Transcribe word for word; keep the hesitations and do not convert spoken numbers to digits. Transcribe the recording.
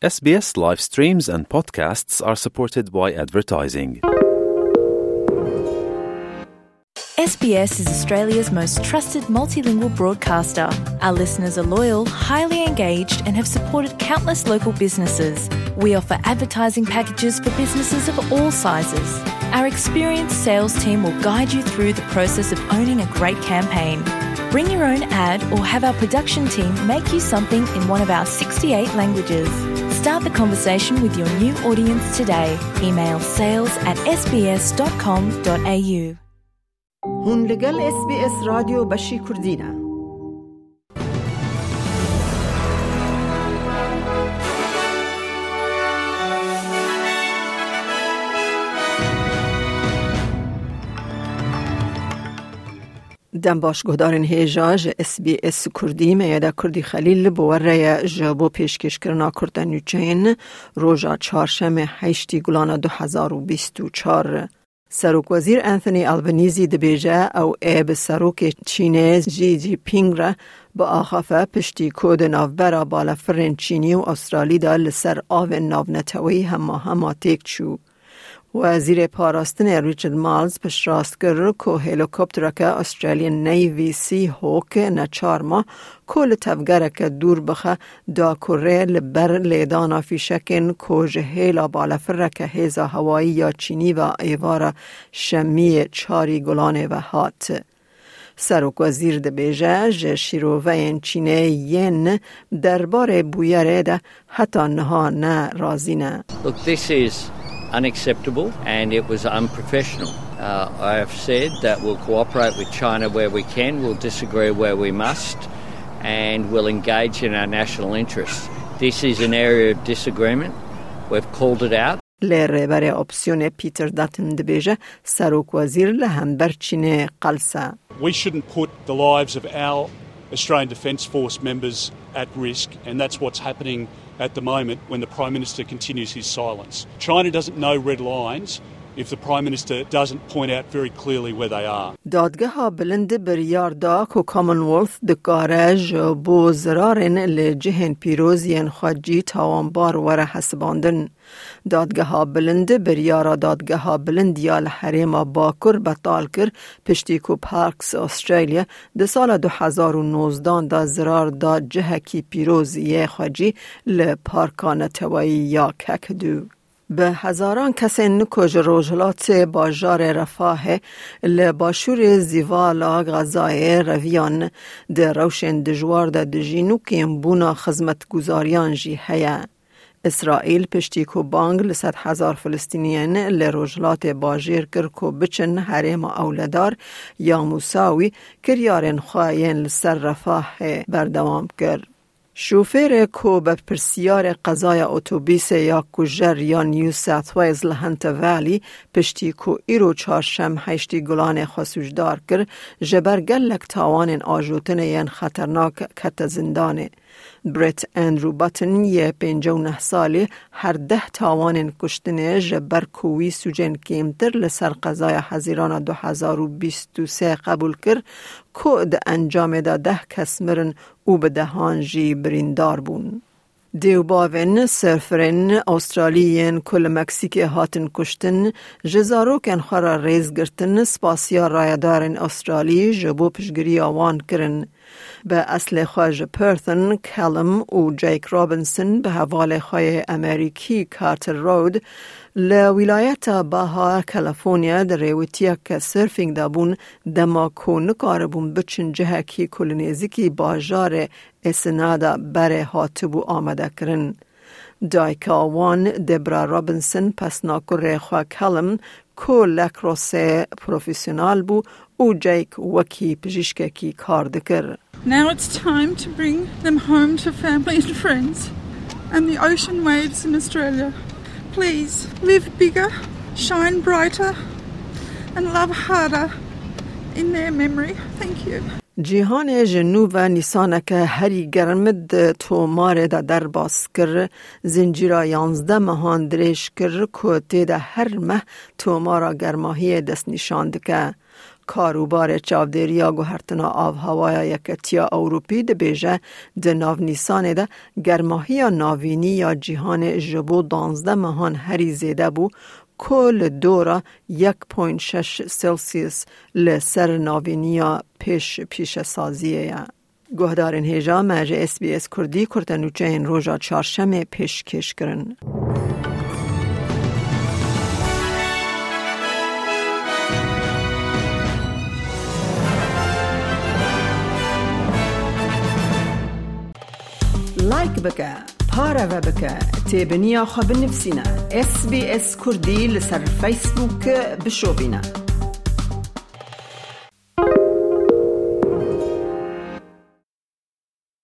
S B S live streams and podcasts are supported by advertising. S B S is Australia's most trusted multilingual broadcaster. Our listeners are loyal, highly engaged, and have supported countless local businesses. We offer advertising packages for businesses of all sizes. Our experienced sales team will guide you through the process of owning a great campaign. Bring your own ad or have our production team make you something in one of our sixty-eight languages. Start the conversation with your new audience today. Email sales at S B S dot com dot A U. Hûn li gel S B S Radyo Beşî Kurdî ne. Dem baş guhdarên hêja ji S B S Kurdî, me yê de Kurdî Xelîl bi we re ye ji bo pêşkêşkirina kurte nûçeyên roja çarşemê heştî Gulana du hezar û bîst û çar. Serokwezîr Anthony Albanese dibêje ew ê bi serokê Çînê Xi Jinping re biaxife, piştî ku di navbera balafirên Çînî û Australî de li ser avên navneteweyî hema hema têk çû. Wezîrê Parastinê Richard Marles piştrast kir ku helîkoptereke Australian Navy Seahawk neçar ma ku li tevgereke dûr bixe, da ku rê li ber lêdana fîşekên ku ji hêla balafireke hêza hewayî ya Çînî ve êvara şemiyê çarî Gulanê ve hat. Serokwezîr dibêje, ji şîroveyên Çînê yên derbarê bûyerê de heta niha ne razî ne. Look, this is unacceptable and it was unprofessional. Uh, I have said that we'll cooperate with China where we can, we'll disagree where we must, and we'll engage in our national interests. This is an area of disagreement. We've called it out. Lê rêberê opsiyonê Peter Dutton dibêje, serokwezîr li hember Çînê qels e. We shouldn't put the lives of our Australian Defence Force members at risk, and that's what's happening at the moment when the Prime Minister continues his silence. China doesn't know red lines if the Prime Minister doesn't point out very clearly where they are. Dadgeha Bilind biryar da ku Commonwealth dikare ji bo zirarên li cihên pîroz yên xwecî tawanbar were hesibandin. Dadgeha Bilind biryara Dadgeha Bilind ya li Herêma Bakur betal kir, piştî ku Parks Australia di sala du hezar û nozdan de zirar da cihekî pîroz yê xwecî li Parka Neteweyî ya Kakadu. Bi hezaran kesên ku ji rojhilatê bajarê Refahê li başûrê Zîvala Gazayê reviyan, di rewşên dijwar de dijîn û kêmbûna xizmetguzariyan jî heye. Îsraîl piştî ku bang li sed hezar Filistîniyên li rojhilatê bajêr kir ku biçin herêma ewledar ya Mûsawî, kiryarên xwe yên li ser Refahê berdewam kir. Şofêrê ku berpirsiyarê qezaya otobîsê ya kujer ya New South Wales li Hunter Valley, piştî ku îro çarşem heştî Gulanê xwe sûcdar kir, ji ber gelek tawanên ajotinê yên xeternak kete zindanê. Brett Andrew Button yê pêncî û neh salî her deh tawanên kuştinê ji ber ku wî sûcên kêmtir li ser qezaya Hezîrana du hezar û bîst û sê qebûl kir, ku di encamê de deh kes mirin û bi dehan jî birîndar bûn. Dê û bavên surferên Australî yên ku li Meksîkê hatin kuştin, ji zarokên xwe re rêz girtin, spasiya rayedarên Australî ji bo piştgiriya wan kirin. Bi eslê xwe ji Perth in, Callum û Jake Robinson bi hevalê xwe yê Amerîkî Carter Road li wîlayeta Baja California di rêwitiyeke surfing de bûn, dema ku nikaribûn biçin cihekî ku li nêzîkî bajarê Ensenada berê hatibû amadekirin. Dayika wan, Debra Robinson, pesna kurê xwe Callum, ku lacrosse profesyonel bû, û Jake wekî pijîşkekî kar dikir. Now it's time to bring them home to family and friends and the ocean waves in Australia. Please, live bigger, shine brighter, and love harder in their memory. Thank you. Cîhanê ji nû ve nîsaneke herî germ di tomarê de derbas kir. Zincîra yanzdeh mehan dirêj kir ku tê de her meh tomara germahiyê destnîşan dike. Karûbarê çavdêriya guhertina avhewaya Yeketiya Ewropî dibêje, di nav Nîsanê de germahiya navînî ya cîhanê ji bo danzdeh mehan herî zêde bû, ku li dora yek point şeş Celsius li ser navîniya pêş pîşesaziyê ye. Guhdarên hêja, me ji S B S Kurdî kurtenûçeyên roja çarşemê pêşkêş kirin. Like bike, pareve bike, têbiniya xwe binivîsîne. S B S Kurdî li ser Facebook bişopîne.